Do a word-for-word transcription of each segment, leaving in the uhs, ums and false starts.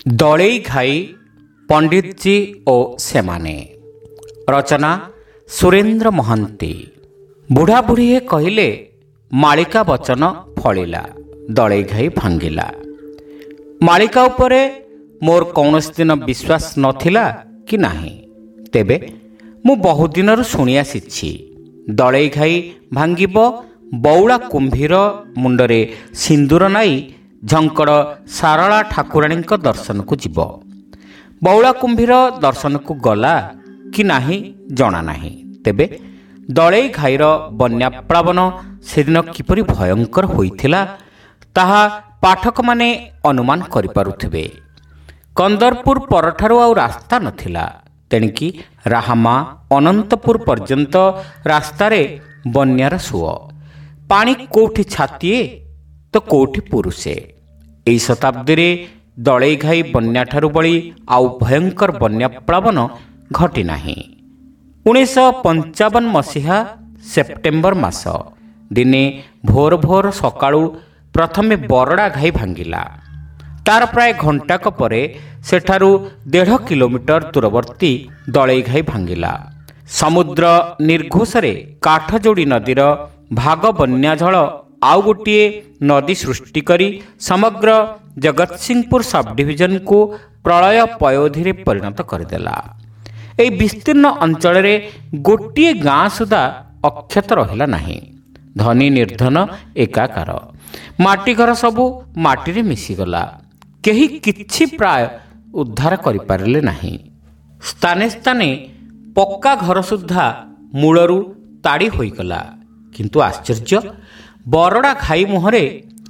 ଦଳେଇ ଘାଇ, ପଣ୍ଡିତଜୀ ଓ ସେମାନେ। ରଚନା ସୁରେନ୍ଦ୍ର ମହାନ୍ତି। ବୁଢ଼ାବୁଢ଼ୀଏ କହିଲେ, ମାଳିକା ବଚନ ଫଳିଲା, ଦଳେଇ ଘାଇ ଭାଙ୍ଗିଲା। ମାଳିକା ଉପରେ ମୋର କୌଣସି ଦିନ ବିଶ୍ୱାସ ନଥିଲା କି ନାହିଁ, ତେବେ ମୁଁ ବହୁଦିନରୁ ଶୁଣି ଆସିଛି ଦଳେଇ ଘାଇ ଭାଙ୍ଗିବ, ବଉଳା କୁମ୍ଭୀର ମୁଣ୍ଡରେ ସିନ୍ଦୁର ନାଇ ଝଙ୍କଡ଼ ସାରଳା ଠାକୁରାଣୀଙ୍କ ଦର୍ଶନକୁ ଯିବ। ବଉଳା କୁମ୍ଭୀର ଦର୍ଶନକୁ ଗଲା କି ନାହିଁ ଜଣା ନାହିଁ, ତେବେ ଦଳେଇ ଘାଇର ବନ୍ୟାପ୍ଳାବନ ସେଦିନ କିପରି ଭୟଙ୍କର ହୋଇଥିଲା ତାହା ପାଠକମାନେ ଅନୁମାନ କରିପାରୁଥିବେ। କନ୍ଦରପୁର ପରଠାରୁ ଆଉ ରାସ୍ତା ନଥିଲା, ତେଣିକି ରାହାମା ଅନନ୍ତପୁର ପର୍ଯ୍ୟନ୍ତ ରାସ୍ତାରେ ବନ୍ୟାର ସୁଅ। ପାଣି କୋଉଠି ଛାତିଏ ତ କୋଉଠି ପୁରୁଷେ। ଏହି ଶତାବ୍ଦୀରେ ଦଳେଇ ଘାଇ ବନ୍ୟାଠାରୁ ବଳି ଆଉ ଭୟଙ୍କର ବନ୍ୟାପ୍ଳାବନ ଘଟିନାହିଁ। ଉଣେଇଶହ ପଞ୍ଚାବନ ମସିହା ସେପ୍ଟେମ୍ବର ମାସ ଦିନେ ଭୋର ଭୋର ସକାଳୁ ପ୍ରଥମେ ବରଡ଼ା ଘାଇ ଭାଙ୍ଗିଲା। ତାର ପ୍ରାୟ ଘଣ୍ଟାକ ପରେ ସେଠାରୁ ଦେଢ଼ କିଲୋମିଟର ଦୂରବର୍ତ୍ତୀ ଦଳେଇ ଘାଇ ଭାଙ୍ଗିଲା। ସମୁଦ୍ର ନିର୍ଘୋଷରେ କାଠଯୋଡ଼ି ନଦୀର ଭାଗ ବନ୍ୟାଜଳ ଆଉ ଗୋଟିଏ ନଦୀ ସୃଷ୍ଟି କରି ସମଗ୍ର ଜଗତସିଂହପୁର ସବଡିଭିଜନକୁ ପ୍ରଳୟ ପୟୋଧିରେ ପରିଣତ କରିଦେଲା। ଏହି ବିସ୍ତୀର୍ଣ୍ଣ ଅଞ୍ଚଳରେ ଗୋଟିଏ ଗାଁ ସୁଦ୍ଧା ଅକ୍ଷତ ରହିଲା ନାହିଁ। ଧନୀ ନିର୍ଦ୍ଧନ ଏକାକାର। ମାଟି ଘର ସବୁ ମାଟିରେ ମିଶିଗଲା। କେହି କିଛି ପ୍ରାୟ ଉଦ୍ଧାର କରିପାରିଲେ ନାହିଁ। ସ୍ଥାନେ ସ୍ଥାନେ ପକ୍କା ଘର ସୁଦ୍ଧା ମୂଳରୁ ତାଡ଼ି ହୋଇଗଲା। କିନ୍ତୁ ଆଶ୍ଚର୍ଯ୍ୟ, ବରଡ଼ା ଘାଇ ମୁହଁରେ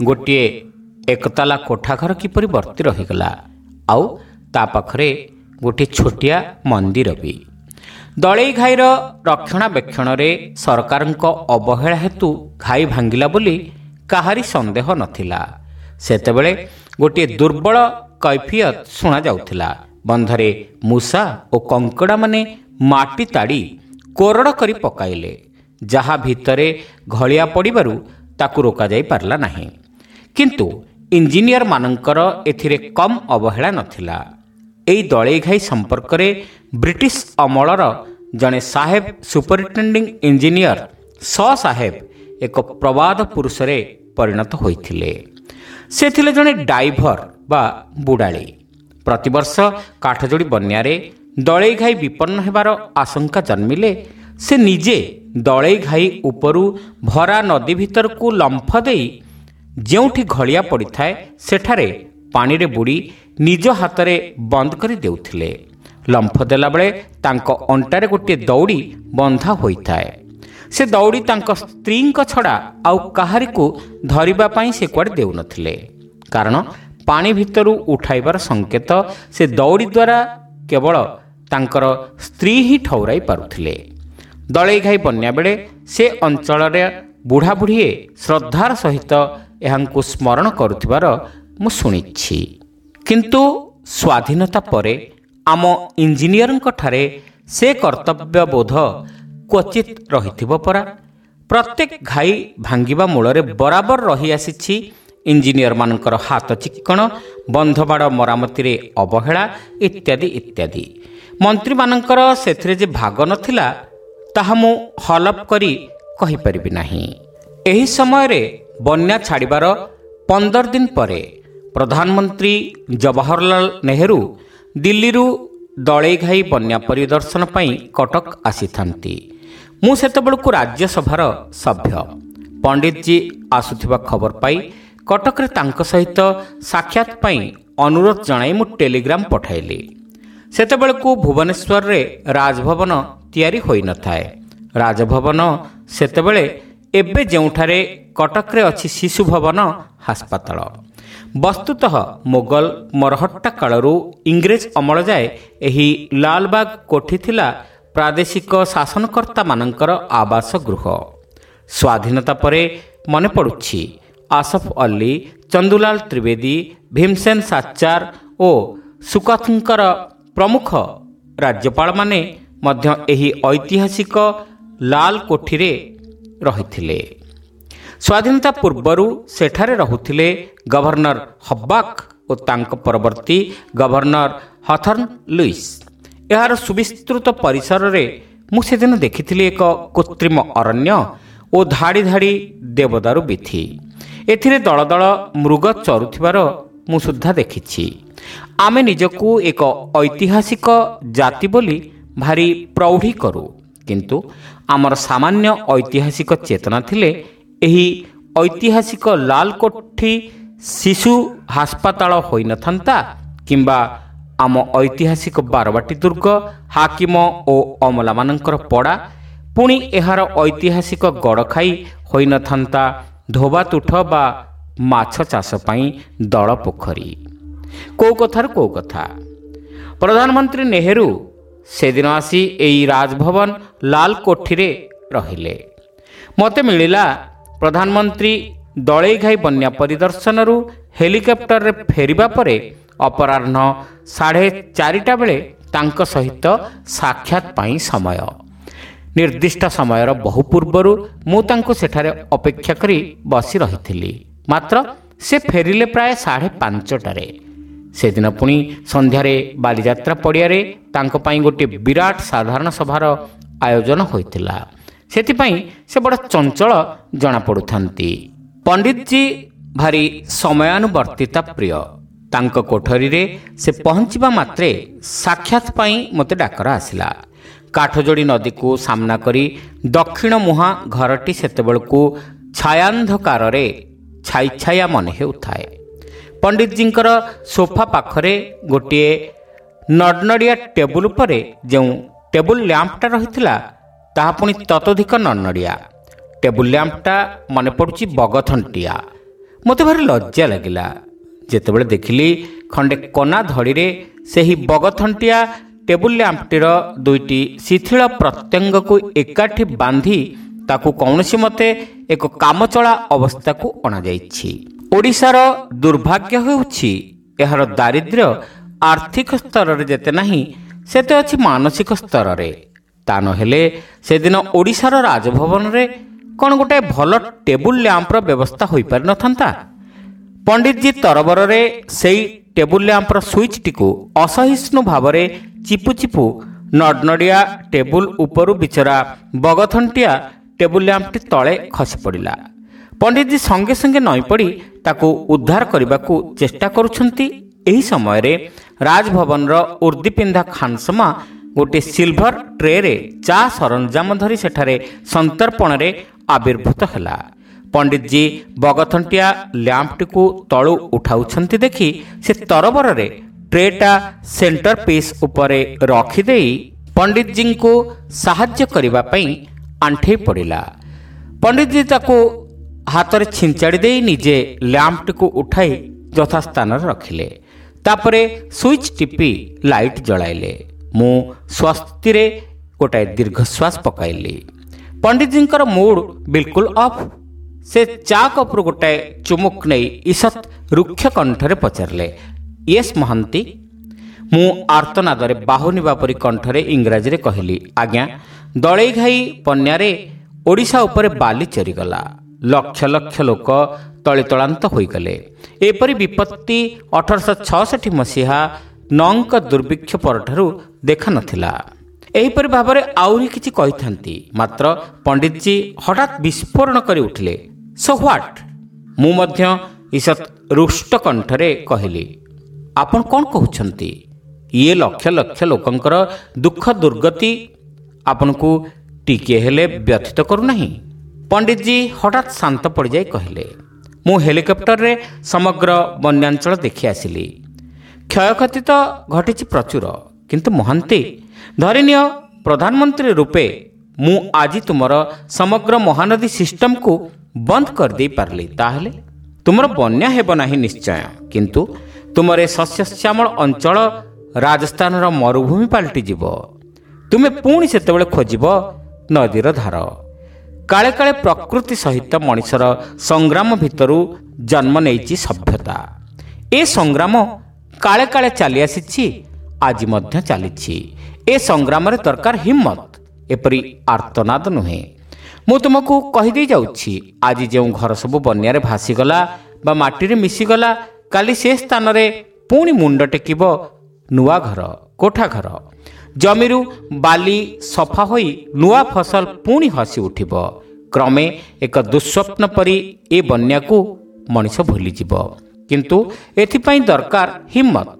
ଗୋଟିଏ ଏକତାଲା କୋଠାଘର କିପରି ବର୍ତ୍ତି ରହିଗଲା, ଆଉ ତା ପାଖରେ ଗୋଟିଏ ଛୋଟିଆ ମନ୍ଦିର ବି। ଦଳେଇ ଘାଇର ରକ୍ଷଣାବେକ୍ଷଣରେ ସରକାରଙ୍କ ଅବହେଳା ହେତୁ ଘାଇ ଭାଙ୍ଗିଲା ବୋଲି କାହାରି ସନ୍ଦେହ ନଥିଲା। ସେତେବେଳେ ଗୋଟିଏ ଦୁର୍ବଳ କୈଫିୟତ ଶୁଣାଯାଉଥିଲା। ବନ୍ଧରେ ମୂଷା ଓ କଙ୍କଡ଼ାମାନେ ମାଟି ତାଡ଼ି କୋରଡ଼ କରି ପକାଇଲେ, ଯାହା ଭିତରେ ଘଳିଆ ପଡ଼ିବାରୁ ତାକୁ ରୋକାଯାଇ ପାରିଲା ନାହିଁ। କିନ୍ତୁ ଇଞ୍ଜିନିୟରମାନଙ୍କର ଏଥିରେ କମ୍ ଅବହେଳା ନଥିଲା। ଏହି ଦଳେଇ ଘାଇ ସମ୍ପର୍କରେ ବ୍ରିଟିଶ ଅମଳର ଜଣେ ସାହେବ ସୁପରିଟେଣ୍ଡିଂ ଇଞ୍ଜିନିୟର ସ ସାହେବ ଏକ ପ୍ରବାଦ ପୁରୁଷରେ ପରିଣତ ହୋଇଥିଲେ। ସେ ଥିଲେ ଜଣେ ଡାଇଭର ବା ବୁଡ଼ାଳି। ପ୍ରତିବର୍ଷ କାଠଯୋଡ଼ି ବନ୍ୟାରେ ଦଳେଇ ଘାଇ ବିପନ୍ନ ହେବାର ଆଶଙ୍କା ଜନ୍ମିଲେ ସେ ନିଜେ ଦଳେଇ ଘାଇ ଉପରୁ ଭରା ନଦୀ ଭିତରକୁ ଲମ୍ଫ ଦେଇ ଯେଉଁଠି ଘଳିଆ ପଡ଼ିଥାଏ ସେଠାରେ ପାଣିରେ ବୁଡ଼ି ନିଜ ହାତରେ ବନ୍ଦ କରି ଦେଉଥିଲେ। ଲମ୍ଫ ଦେଲାବେଳେ ତାଙ୍କ ଅଣ୍ଟାରେ ଗୋଟିଏ ଦଉଡ଼ି ବନ୍ଧା ହୋଇଥାଏ। ସେ ଦଉଡ଼ି ତାଙ୍କ ସ୍ତ୍ରୀଙ୍କ ଛଡ଼ା ଆଉ କାହାରିକୁ ଧରିବା ପାଇଁ ସେ କୁଆଡ଼େ ଦେଉନଥିଲେ, କାରଣ ପାଣି ଭିତରୁ ଉଠାଇବାର ସଂକେତ ସେ ଦଉଡ଼ି ଦ୍ୱାରା କେବଳ ତାଙ୍କର ସ୍ତ୍ରୀ ହିଁ ଠଉରାଇ ପାରୁଥିଲେ। ଦଳେଇ ଘାଇ ବନ୍ୟା ବେଳେ ସେ ଅଞ୍ଚଳରେ ବୁଢ଼ାବୁଢ଼ୀଏ ଶ୍ରଦ୍ଧାର ସହିତ ଏହାଙ୍କୁ ସ୍ମରଣ କରୁଥିବାର ମୁଁ ଶୁଣିଛି। କିନ୍ତୁ ସ୍ୱାଧୀନତା ପରେ ଆମ ଇଞ୍ଜିନିୟରଙ୍କ ଠାରେ ସେ କର୍ତ୍ତବ୍ୟବୋଧ କ୍ୱଚିତ୍ ରହିଥିବ ପରା। ପ୍ରତ୍ୟେକ ଘାଇ ଭାଙ୍ଗିବା ମୂଳରେ ବରାବର ରହିଆସିଛି ଇଞ୍ଜିନିୟରମାନଙ୍କର ହାତ ଚିକ୍କଣ, ବନ୍ଧବାଡ଼ ମରାମତିରେ ଅବହେଳା ଇତ୍ୟାଦି ଇତ୍ୟାଦି। ମନ୍ତ୍ରୀମାନଙ୍କର ସେଥିରେ ଯେ ଭାଗ ନଥିଲା ତାହା ମୁଁ ହଲପ କରି କହିପାରିବି ନାହିଁ। ଏହି ସମୟରେ ବନ୍ୟା ଛାଡ଼ିବାର ପନ୍ଦର ଦିନ ପରେ ପ୍ରଧାନମନ୍ତ୍ରୀ ଜବାହରଲାଲ ନେହେରୁ ଦିଲ୍ଲୀରୁ ଦଳେଇ ଘାଇ ବନ୍ୟା ପରିଦର୍ଶନ ପାଇଁ କଟକ ଆସିଥାନ୍ତି। ମୁଁ ସେତେବେଳକୁ ରାଜ୍ୟସଭାର ସଭ୍ୟ। ପଣ୍ଡିତଜୀ ଆସୁଥିବା ଖବର ପାଇ କଟକରେ ତାଙ୍କ ସହିତ ସାକ୍ଷାତ ପାଇଁ ଅନୁରୋଧ ଜଣାଇ ମୁଁ ଟେଲିଗ୍ରାମ ପଠାଇଲି। ସେତେବେଳକୁ ଭୁବନେଶ୍ୱରରେ ରାଜଭବନ ତିଆରି ହୋଇନଥାଏ। ରାଜଭବନ ସେତେବେଳେ ଏବେ ଯେଉଁଠାରେ କଟକରେ ଅଛି ଶିଶୁ ଭବନ ହାସ୍ପାତାଳ। ବସ୍ତୁତଃ ମୋଗଲ ମରହଟ୍ଟା କାଳରୁ ଇଂରେଜ ଅମଳ ଯାଏ ଏହି ଲାଲବାଗ କୋଠି ଥିଲା ପ୍ରାଦେଶିକ ଶାସନକର୍ତ୍ତାମାନଙ୍କର ଆବାସ ଗୃହ। ସ୍ୱାଧୀନତା ପରେ ମନେ ପଡ଼ୁଛି ଆସଫ ଅଲ୍ଲୀ, ଚନ୍ଦୁଲାଲ ତ୍ରିବେଦୀ, ଭୀମସେନ ସାଚାର ଓ ସୁକାଥଙ୍କର ପ୍ରମୁଖ ରାଜ୍ୟପାଳମାନେ ମଧ୍ୟ ଏହି ଐତିହାସିକ ଲାଲ କୋଠିରେ ରହିଥିଲେ। ସ୍ୱାଧୀନତା ପୂର୍ବରୁ ସେଠାରେ ରହୁଥିଲେ ଗଭର୍ଣ୍ଣର ହବ୍ବାକ୍ ଓ ତାଙ୍କ ପରବର୍ତ୍ତୀ ଗଭର୍ଣ୍ଣର ହଥର୍ନ ଲୁଇସ୍। ଏହାର ସୁବିସ୍ତୃତ ପରିସରରେ ମୁଁ ସେଦିନ ଦେଖିଥିଲି ଏକ କୃତ୍ରିମ ଅରଣ୍ୟ ଓ ଧାଡ଼ି ଧାଡ଼ି ଦେବଦାରୁ ବିଥି। ଏଥିରେ ଦଳ ଦଳ ମୃଗ ଚରୁଥିବାର ମୁଁ ସୁଦ୍ଧା ଦେଖିଛି। ଆମେ ନିଜକୁ ଏକ ଐତିହାସିକ ଜାତି ବୋଲି ଭାରି ପ୍ରୌଢ଼ି କରୁ, କିନ୍ତୁ ଆମର ସାମାନ୍ୟ ଐତିହାସିକ ଚେତନା ଥିଲେ ଏହି ଐତିହାସିକ ଲାଲକୋଠି ଶିଶୁ ହାସ୍ପାତାଳ ହୋଇନଥାନ୍ତା, କିମ୍ବା ଆମ ଐତିହାସିକ ବାରବାଟୀ ଦୁର୍ଗ ହାକିମ ଓ ଅମଲାମାନଙ୍କର ପଡ଼ା, ପୁଣି ଏହାର ଐତିହାସିକ ଗଡ଼ଖାଇ ହୋଇନଥାନ୍ତା ଧୋବାତୁଠ ବା ମାଛ ଚାଷ ପାଇଁ ଦଳ ପୋଖରୀ। କେଉଁ କଥାରୁ କେଉଁ କଥା। ପ୍ରଧାନମନ୍ତ୍ରୀ ନେହେରୁ ସେଦିନ ଆସି ଏଇ ରାଜଭବନ ଲାଲକୋଠିରେ ରହିଲେ। ମୋତେ ମିଳିଲା ପ୍ରଧାନମନ୍ତ୍ରୀ ଦଳେଇଘାଇ ବନ୍ୟା ପରିଦର୍ଶନରୁ ହେଲିକପ୍ଟରରେ ଫେରିବା ପରେ ଅପରାହ୍ନ ସାଢ଼େ ଚାରିଟା ବେଳେ ତାଙ୍କ ସହିତ ସାକ୍ଷାତ ପାଇଁ ସମୟ। ନିର୍ଦ୍ଦିଷ୍ଟ ସମୟର ବହୁ ପୂର୍ବରୁ ମୁଁ ତାଙ୍କୁ ସେଠାରେ ଅପେକ୍ଷା କରି ବସି ରହିଥିଲି। ମାତ୍ର ସେ ଫେରିଲେ ପ୍ରାୟ ସାଢ଼େ ପାଞ୍ଚଟାରେ। ସେଦିନ ପୁଣି ସନ୍ଧ୍ୟାରେ ବାଲିଯାତ୍ରା ପଡ଼ିଆରେ ତାଙ୍କ ପାଇଁ ଗୋଟିଏ ବିରାଟ ସାଧାରଣ ସଭାର ଆୟୋଜନ ହୋଇଥିଲା। ସେଥିପାଇଁ ସେ ବଡ଼ ଚଞ୍ଚଳ ଜଣାପଡ଼ୁଥାନ୍ତି। ପଣ୍ଡିତଜୀ ଭାରି ସମୟାନୁବର୍ତ୍ତିତା ପ୍ରିୟ। ତାଙ୍କ କୋଠରୀରେ ସେ ପହଞ୍ଚିବା ମାତ୍ରେ ସାକ୍ଷାତ ପାଇଁ ମୋତେ ଡାକରା ଆସିଲା। କାଠଯୋଡ଼ି ନଦୀକୁ ସାମ୍ନା କରି ଦକ୍ଷିଣ ମୁହାଁ ଘରଟି ସେତେବେଳକୁ ଛାୟାନ୍ଧକାରରେ ଛାଇ ଛାୟା ମନେ ହେଉଥାଏ। ପଣ୍ଡିତଜୀଙ୍କର ସୋଫା ପାଖରେ ଗୋଟିଏ ନଡ଼ନଡ଼ିଆ ଟେବୁଲ ଉପରେ ଯେଉଁ ଟେବୁଲ ଲ୍ୟାମ୍ପଟା ରହିଥିଲା ତାହା ପୁଣି ତତୋଧିକ ନଡ଼ନଡ଼ିଆ। ଟେବୁଲ ଲ୍ୟାମ୍ପଟା ମନେ ପଡ଼ୁଛି ବଗଥଣ୍ଟିଆ। ମୋତେ ଭାରି ଲଜ୍ଜା ଲାଗିଲା ଯେତେବେଳେ ଦେଖିଲି ଖଣ୍ଡେ କନା ଧଡ଼ିରେ ସେହି ବଗଥଣ୍ଟିଆ ଟେବୁଲ ଲ୍ୟାମ୍ପଟିର ଦୁଇଟି ଶିଥିଳ ପ୍ରତ୍ୟଙ୍ଗକୁ ଏକାଠି ବାନ୍ଧି ତାକୁ କୌଣସି ମତେ ଏକ କାମଚଳା ଅବସ୍ଥାକୁ ଅଣାଯାଇଛି। ଓଡ଼ିଶାର ଦୁର୍ଭାଗ୍ୟ ହେଉଛି ଏହାର ଦାରିଦ୍ର୍ୟ ଆର୍ଥିକ ସ୍ତରରେ ଯେତେ ନାହିଁ ସେତେ ଅଛି ମାନସିକ ସ୍ତରରେ। ତା ନହେଲେ ସେଦିନ ଓଡ଼ିଶାର ରାଜଭବନରେ କ'ଣ ଗୋଟାଏ ଭଲ ଟେବୁଲ ଲ୍ୟାମ୍ପର ବ୍ୟବସ୍ଥା ହୋଇପାରିନଥାନ୍ତା? ପଣ୍ଡିତଜୀ ତରବରରେ ସେଇ ଟେବୁଲ ଲ୍ୟାମ୍ପର ସୁଇଚ୍ଟିକୁ ଅସହିଷ୍ଣୁ ଭାବରେ ଚିପୁ ଚିପୁ ନଡ଼ନଡ଼ିଆ ଟେବୁଲ ଉପରୁ ବିଚରା ବଗଥଣ୍ଟିଆ ଟେବୁଲ ଲ୍ୟାମ୍ପଟି ତଳେ ଖସି ପଡ଼ିଲା। ପଣ୍ଡିତଜୀ ସଙ୍ଗେ ସଙ୍ଗେ ନଇଁ ପଡ଼ି ତାକୁ ଉଦ୍ଧାର କରିବାକୁ ଚେଷ୍ଟା କରୁଛନ୍ତି। ଏହି ସମୟରେ ରାଜଭବନର ଉର୍ଦ୍ଦିପିନ୍ଧା ଖାନସମା ଗୋଟିଏ ସିଲଭର ଟ୍ରେରେ ଚା ସରଞ୍ଜାମ ଧରି ସେଠାରେ ସନ୍ତର୍ପଣରେ ଆବିର୍ଭୂତ ହେଲା। ପଣ୍ଡିତଜୀ ବଗଥଣ୍ଟିଆ ଲ୍ୟାମ୍ପଟିକୁ ତଳୁ ଉଠାଉଛନ୍ତି ଦେଖି ସେ ତରବରରେ ଟ୍ରେଟା ସେଣ୍ଟର ପିସ୍ ଉପରେ ରଖିଦେଇ ପଣ୍ଡିତଜୀଙ୍କୁ ସାହାଯ୍ୟ କରିବା ପାଇଁ ଆଣ୍ଠେଇ ପଡ଼ିଲା। ପଣ୍ଡିତଜୀ ତାକୁ ହାତରେ ଛିଞ୍ଚାଡ଼ି ଦେଇ ନିଜେ ଲ୍ୟାମ୍ପଟିକୁ ଉଠାଇ ଯଥାସ୍ଥାନରେ ରଖିଲେ। ତାପରେ ସୁଇଚ୍ ଟିପି ଲାଇଟ୍ ଜଳାଇଲେ। ମୁଁ ସ୍ୱସ୍ତିରେ ଗୋଟାଏ ଦୀର୍ଘଶ୍ୱାସ ପକାଇଲି। ପଣ୍ଡିତଜୀଙ୍କର ମୁଡ୍ ବିଲକୁଲ ଅଫ୍। ସେ ଚା କପ୍ରୁ ଗୋଟାଏ ଚୁମୁକ୍ ନେଇ ଈଷତ୍ ରୁକ୍ଷ କଣ୍ଠରେ ପଚାରିଲେ, ୟେସ୍ ମହାନ୍ତି? ମୁଁ ଆର୍ତ୍ତନାଦରେ ବାହୁନିବା ପରି କଣ୍ଠରେ ଇଂରାଜୀରେ କହିଲି, ଆଜ୍ଞା, ଦଳେଇଘାଇ ବନ୍ୟାରେ ଓଡ଼ିଶା ଉପରେ ବାଲି ଚରିଗଲା। ଲକ୍ଷ ଲକ୍ଷ ଲୋକ ତଳିତଳାନ୍ତ ହୋଇଗଲେ। ଏପରି ବିପତ୍ତି ଅଠରଶହ ଛଅଷଠି ମସିହା ନଅଙ୍କ ଦୁର୍ଭିକ୍ଷ ପରଠାରୁ ଦେଖାନଥିଲା। ଏହିପରି ଭାବରେ ଆହୁରି କିଛି କହିଥାନ୍ତି, ମାତ୍ର ପଣ୍ଡିତଜୀ ହଠାତ୍ ବିସ୍ଫୋରଣ କରି ଉଠିଲେ, ସୋ what? ମୁଁ ମଧ୍ୟ ଈଷତ୍ ରୁଷ୍ଟ କଣ୍ଠରେ କହିଲି, ଆପଣ କ'ଣ କହୁଛନ୍ତି? ଇଏ ଲକ୍ଷ ଲକ୍ଷ ଲୋକଙ୍କର ଦୁଃଖ ଦୁର୍ଗତି ଆପଣଙ୍କୁ ଟିକିଏ ହେଲେ ବ୍ୟଥିତ କରୁନାହିଁ? ପଣ୍ଡିତଜୀ ହଠାତ୍ ଶାନ୍ତ ପଡ଼ିଯାଇ କହିଲେ, ମୁଁ ହେଲିକପ୍ଟରରେ ସମଗ୍ର ବନ୍ୟାଞ୍ଚଳ ଦେଖି ଆସିଲି। କ୍ଷୟକ୍ଷତି ତ ଘଟିଛି ପ୍ରଚୁର, କିନ୍ତୁ ମହାନ୍ତି, ଧରିନିଅ ପ୍ରଧାନମନ୍ତ୍ରୀ ରୂପେ ମୁଁ ଆଜି ତୁମର ସମଗ୍ର ମହାନଦୀ ସିଷ୍ଟମକୁ ବନ୍ଦ କରିଦେଇ ପାରିଲି, ତାହେଲେ ତୁମର ବନ୍ୟା ହେବ ନାହିଁ ନିଶ୍ଚୟ, କିନ୍ତୁ ତୁମର ଏ ଶସ୍ୟଶ୍ୟାମଳ ଅଞ୍ଚଳ ରାଜସ୍ଥାନର ମରୁଭୂମି ପାଲଟିଯିବ। ତୁମେ ପୁଣି ସେତେବେଳେ ଖୋଜିବ ନଦୀର ଧାର। କାଳେ କାଳେ ପ୍ରକୃତି ସହିତ ମଣିଷର ସଂଗ୍ରାମ ଭିତରୁ ଜନ୍ମ ନେଇଛି ସଭ୍ୟତା। ଏ ସଂଗ୍ରାମ କାଳେ କାଳେ ଚାଲି ଆସିଛି, ଆଜି ମଧ୍ୟ ଚାଲିଛି। ଏ ସଂଗ୍ରାମରେ ଦରକାର ହିମ୍ମତ, ଏପରି ଆର୍ତ୍ତନାଦ ନୁହେଁ। ମୁଁ ତୁମକୁ କହିଦେଇ ଯାଉଛି, ଆଜି ଯେଉଁ ଘର ସବୁ ବନ୍ୟାରେ ଭାସିଗଲା ବା ମାଟିରେ ମିଶିଗଲା, କାଲି ସେ ସ୍ଥାନରେ ପୁଣି ମୁଣ୍ଡ ଟେକିବ ନୂଆ ଘର, କୋଠା ଘର। ଜମିରୁ ବାଲି ସଫା ହୋଇ ନୂଆ ଫସଲ ପୁଣି ହସି ଉଠିବ। କ୍ରମେ ଏକ ଦୁଃସ୍ୱପ୍ନ ପରି ଏ ବନ୍ୟାକୁ ମଣିଷ ଭୁଲିଯିବ। କିନ୍ତୁ ଏଥିପାଇଁ ଦରକାର ହିମ୍ମତ।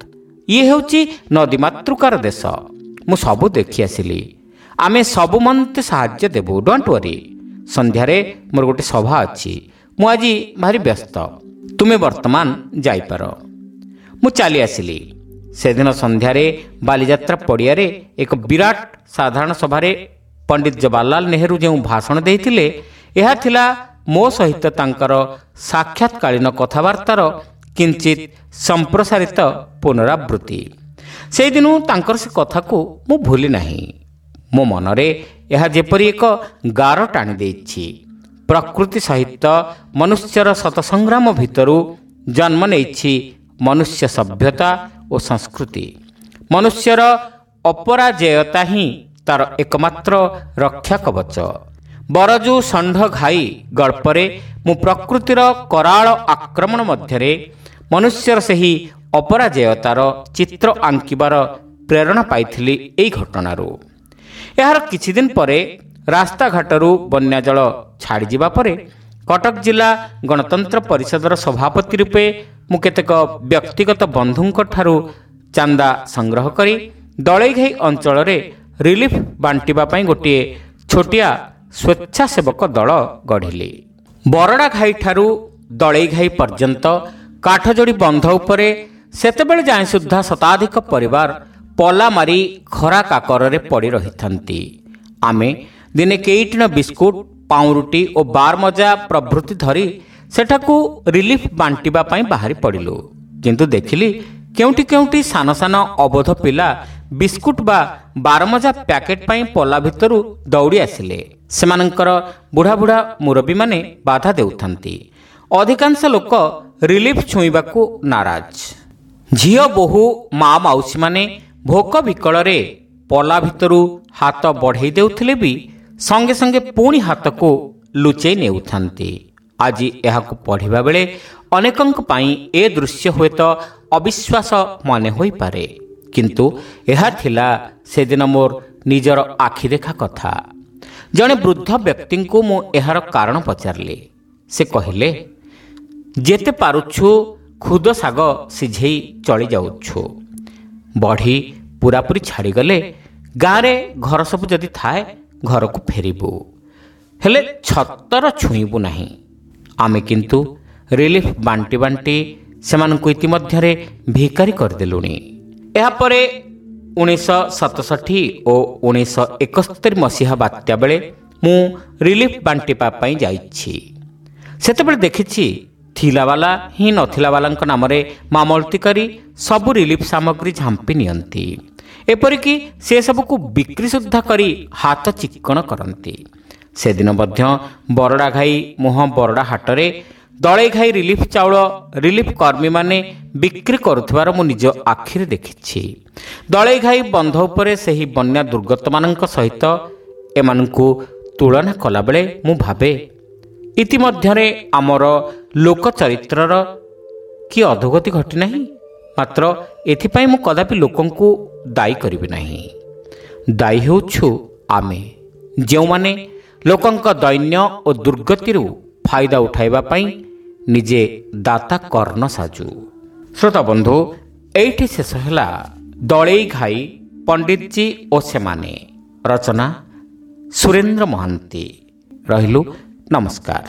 ଇଏ ହେଉଛି ନଦୀ ମାତୃକାର ଦେଶ। ମୁଁ ସବୁ ଦେଖି ଆସିଲି। ଆମେ ସବୁ ମନ୍ତେ ସାହାଯ୍ୟ ଦେବୁ, don't worry. ସନ୍ଧ୍ୟାରେ ମୋର ଗୋଟେ ସଭା ଅଛି। ମୁଁ ଆଜି ଭାରି ବ୍ୟସ୍ତ। ତୁମେ ବର୍ତ୍ତମାନ ଯାଇପାର। ମୁଁ ଚାଲି ଆସିଲି। ସେଦିନ ସନ୍ଧ୍ୟାରେ ବାଲିଯାତ୍ରା ପଡ଼ିଆରେ ଏକ ବିରାଟ ସାଧାରଣ ସଭାରେ ପଣ୍ଡିତ ଜବାହରଲାଲ ନେହେରୁ ଯେଉଁ ଭାଷଣ ଦେଇଥିଲେ, ଏହା ଥିଲା ମୋ ସହିତ ତାଙ୍କର ସାକ୍ଷାତକାଳୀନ କଥାବାର୍ତ୍ତାର କିଞ୍ଚିତ ସମ୍ପ୍ରସାରିତ ପୁନରାବୃତ୍ତି। ସେଇଦିନୁ ତାଙ୍କର ସେ କଥାକୁ ମୁଁ ଭୁଲି ନାହିଁ। ମୋ ମନରେ ଏହା ଯେପରି ଏକ ଗାର ଟାଣି ଦେଇଛି। ପ୍ରକୃତି ସହିତ ମନୁଷ୍ୟର ଶତସଂଗ୍ରାମ ଭିତରୁ ଜନ୍ମ ନେଇଛି ମନୁଷ୍ୟ ସଭ୍ୟତା ଓ ସଂସ୍କୃତି। ମନୁଷ୍ୟର ଅପରାଜେୟତା ହିଁ ତାର ଏକମାତ୍ର ରକ୍ଷା କବଚ। ବରଜୁ ଷଣ୍ଢ ଘାଇ ଗଳ୍ପରେ ମୁଁ ପ୍ରକୃତିର କରାଳ ଆକ୍ରମଣ ମଧ୍ୟରେ ମନୁଷ୍ୟର ସେହି ଅପରାଜେୟତାର ଚିତ୍ର ଆଙ୍କିବାର ପ୍ରେରଣା ପାଇଥିଲି ଏଇ ଘଟଣାରୁ। ଏହାର କିଛିଦିନ ପରେ ରାସ୍ତାଘାଟରୁ ବନ୍ୟା ଜଳ ଛାଡ଼ିଯିବା ପରେ କଟକ ଜିଲ୍ଲା ଗଣତନ୍ତ୍ର ପରିଷଦର ସଭାପତି ରୂପେ ମୁଁ କେତେକ ବ୍ୟକ୍ତିଗତ ବନ୍ଧୁଙ୍କ ଠାରୁ ଚାନ୍ଦା ସଂଗ୍ରହ କରି ଦଳେଇଘାଇ ଅଞ୍ଚଳରେ ରିଲିଫ୍ ବାଣ୍ଟିବା ପାଇଁ ଗୋଟିଏ ଛୋଟିଆ ସ୍ୱେଚ୍ଛାସେବକ ଦଳ ଗଢ଼ିଲି। ବରଡ଼ା ଘାଇଠାରୁ ଦଳେଇଘାଇ ପର୍ଯ୍ୟନ୍ତ କାଠଯୋଡ଼ି ବନ୍ଧ ଉପରେ ସେତେବେଳେ ଯାଏଁ ସୁଦ୍ଧା ଶତାଧିକ ପରିବାର ପଲା ମାରି ଖରା କାକରରେ ପଡ଼ି ରହିଥାନ୍ତି। ଆମେ ଦିନେ କେଇଟିଣ ବିସ୍କୁଟ, ପାଉଁରୁଟି ଓ ବାରମଜା ପ୍ରଭୃତି ଧରି ସେଠାକୁ ରିଲିଫ୍ ବାଣ୍ଟିବା ପାଇଁ ବାହାରି ପଡ଼ିଲୁ। କିନ୍ତୁ ଦେଖିଲି କେଉଁଠି କେଉଁଠି ସାନ ସାନ ଅବୋଧ ପିଲା ବିସ୍କୁଟ ବା ବାରମଜା ପ୍ୟାକେଟ୍ ପାଇଁ ପଲା ଭିତରୁ ଦୌଡ଼ି ଆସିଲେ। ସେମାନଙ୍କର ବୁଢ଼ା ବୁଢ଼ା ମୁରବୀମାନେ ବାଧା ଦେଉଥାନ୍ତି। ଅଧିକାଂଶ ଲୋକ ରିଲିଫ୍ ଛୁଇଁବାକୁ ନାରାଜ। ଝିଅ ବୋହୂ ମା ମାଉସୀମାନେ ଭୋକ ବିକଳରେ ପଲା ଭିତରୁ ହାତ ବଢ଼େଇ ଦେଉଥିଲେ ବି ସଙ୍ଗେ ସଙ୍ଗେ ପୁଣି ହାତକୁ ଲୁଚେଇ ନେଉଥାନ୍ତି। ଆଜି ଏହାକୁ ପଢ଼ିବା ବେଳେ ଅନେକଙ୍କ ପାଇଁ ଏ ଦୃଶ୍ୟ ହୁଏତ ଅବିଶ୍ୱାସ ମନେ ହୋଇପାରେ, କିନ୍ତୁ ଏହା ଥିଲା ସେଦିନ ମୋର ନିଜର ଆଖି ଦେଖା କଥା। ଜଣେ ବୃଦ୍ଧ ବ୍ୟକ୍ତିଙ୍କୁ ମୁଁ ଏହାର କାରଣ ପଚାରିଲି। ସେ କହିଲେ, ଯେତେ ପାରୁଛୁ ଖୁଦ ଶାଗ ସିଝେଇ ଚଳି ଯାଉଛୁ। ବଢ଼ି ପୁରାପୁରି ଛାଡ଼ିଗଲେ ଗାଁରେ ଘର ସବୁ ଯଦି ଥାଏ ଘରକୁ ଫେରିବୁ, ହେଲେ ଛତର ଛୁଇଁବୁ ନାହିଁ। ଆମେ କିନ୍ତୁ ରିଲିଫ୍ ବାଣ୍ଟି ବାଣ୍ଟି ସେମାନଙ୍କୁ ଇତିମଧ୍ୟରେ ଭିକାରୀ କରିଦେଲୁଣି। ଏହାପରେ ଉଣେଇଶହ ସତଷଠି ଓ ଉଣେଇଶହ ଏକସ୍ତରୀ ମସିହା ବାତ୍ୟା ବେଳେ ମୁଁ ରିଲିଫ୍ ବାଣ୍ଟିବା ପାଇଁ ଯାଇଛି। ସେତେବେଳେ ଦେଖିଛି ଥିଲାବାଲା ହିଁ ନଥିଲାବାଲାଙ୍କ ନାମରେ ମାମଲତି କରି ସବୁ ରିଲିଫ୍ ସାମଗ୍ରୀ ଝାମ୍ପି ନିଅନ୍ତି। ଏପରିକି ସେସବୁକୁ ବିକ୍ରି ସୁଦ୍ଧା କରି ହାତ ଚିକ୍କଣ କରନ୍ତି। ସେଦିନ ମଧ୍ୟ ବରଡ଼ା ଘାଇ ମୁହଁ ବରଡ଼ା ହାଟରେ ଦଳେଇ ଘାଇ ରିଲିଫ୍ ଚାଉଳ ରିଲିଫ୍ କର୍ମୀମାନେ ବିକ୍ରି କରୁଥିବାର ମୁଁ ନିଜ ଆଖିରେ ଦେଖିଛି। ଦଳେଇ ଘାଇ ବନ୍ଧ ଉପରେ ସେହି ବନ୍ୟା ଦୁର୍ଗତମାନଙ୍କ ସହିତ ଏମାନଙ୍କୁ ତୁଳନା କଲାବେଳେ ମୁଁ ଭାବେ, ଇତିମଧ୍ୟରେ ଆମର ଲୋକ ଚରିତ୍ରର କି ଅଧୋଗତି ଘଟିନାହିଁ। ମାତ୍ର ଏଥିପାଇଁ ମୁଁ କଦାପି ଲୋକଙ୍କୁ ଦାୟୀ କରିବି ନାହିଁ। ଦାୟୀ ହେଉଛୁ ଆମେ, ଯେଉଁମାନେ ଲୋକଙ୍କ ଦୈନ୍ୟ ଓ ଦୁର୍ଗତିରୁ ଫାଇଦା ଉଠାଇବା ପାଇଁ ନିଜେ ଦାତା କର୍ଣ୍ଣ ସାଜୁ। ଶ୍ରୋତା ବନ୍ଧୁ, ଏଇଠି ଶେଷ ହେଲା ଦଳେଇ ଘାଇ ପଣ୍ଡିତଜୀ ଓ ସେମାନେ, ରଚନା ସୁରେନ୍ଦ୍ର ମହାନ୍ତି। ରହିଲୁ, ନମସ୍କାର।